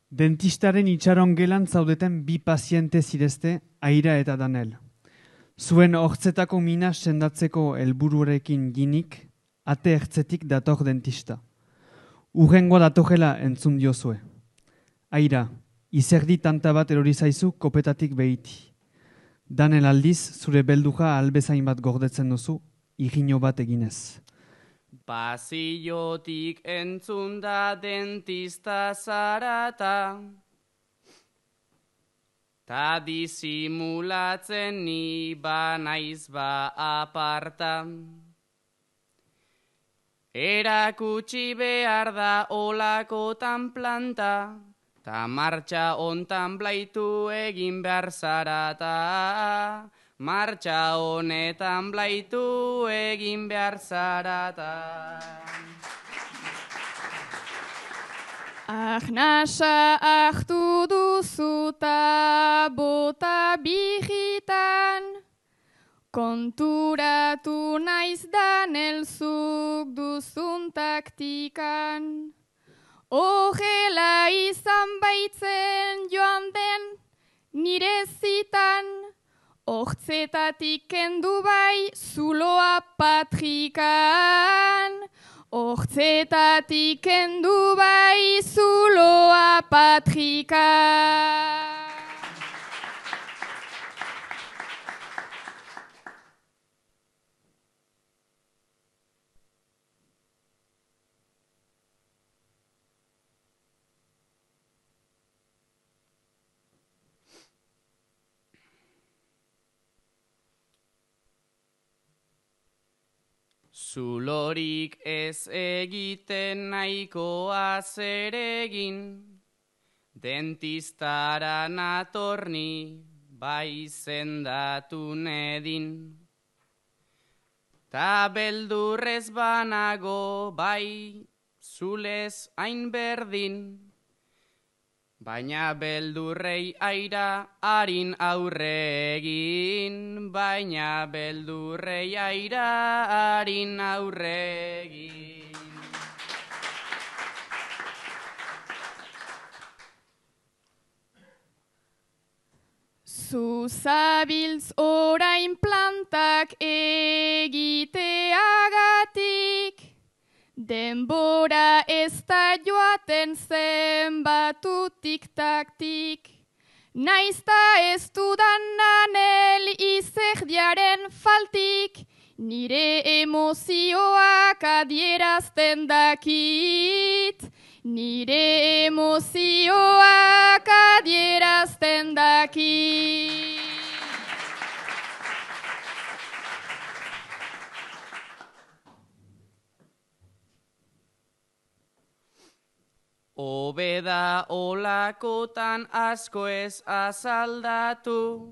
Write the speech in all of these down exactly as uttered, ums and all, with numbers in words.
Dentistaren itxaron gelan zaudeten bi paziente zirezte, Aira eta Danel. Zuen hortzetako mina sendatzeko helburuarekin ginik, ate ertzetik dator dentista. Urrengo datorela entzun diozue. Aira, izerdi tanta bat erori zaizu kopetatik behiti. Danel aldiz, zure belduja albezain bat gordetzen duzu, igino bat eginez. Pasillotik entzun da dentista zarata, ta disimulatzen ni ba naiz ba aparta. Erakutsi behar da olakotan planta, ta martxa ontan blaitu egin behar zarata. Martxa honetan blaitu egin behar zarata. Ahnasa ahtu duzuta bota bijitan, konturatu naiz Danel zuk duzun taktikan. Horrela izan baitzen joan den nire zitan, hortzetatik kendu bai zuloa patrikan. Hortzetatik kendu bai zuloa patrikan. Zulorik ez egiten nahikoa zeregin, dentistara natorni bai zendatu nedin. Ta beldurrez banago bai zulez hain berdin, baina beldurrei Aira harin aurre egin, baina beldurrei Aira harin aurre egin. Zuzabiltz orain plantak egiteagatik, denbora ez da joaten zenbatutik taktik. Naizta ez dudan Danel izerdiaren faltik, nire emozioak adierazten dakit. Nire emozioak adierazten dakit. Obeda olakotan asko ez azaldatu,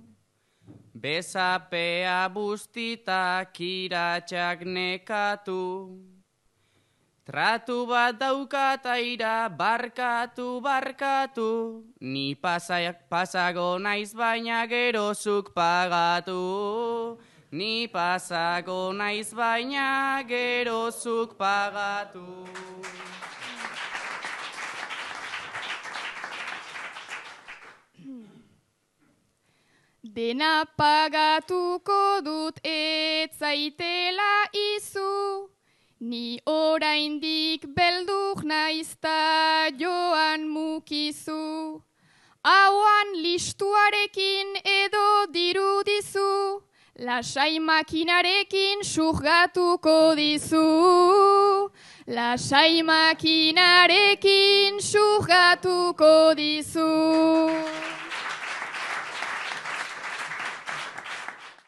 bezapea bustita kiratxak nekatu. Tratu bat daukat Aira barkatu, barkatu, ni pasak pasago naiz baina gerozuk pagatu. Ni pasago naiz baina gerozuk pagatu. Dena pagatuko dut ez zaitela izu, ni oraindik beldur naizta joan mukizu. Hauan listuarekin edo dirudizu, lasai makinarekin surgatuko dizu. Lasai makinarekin surgatuko dizu.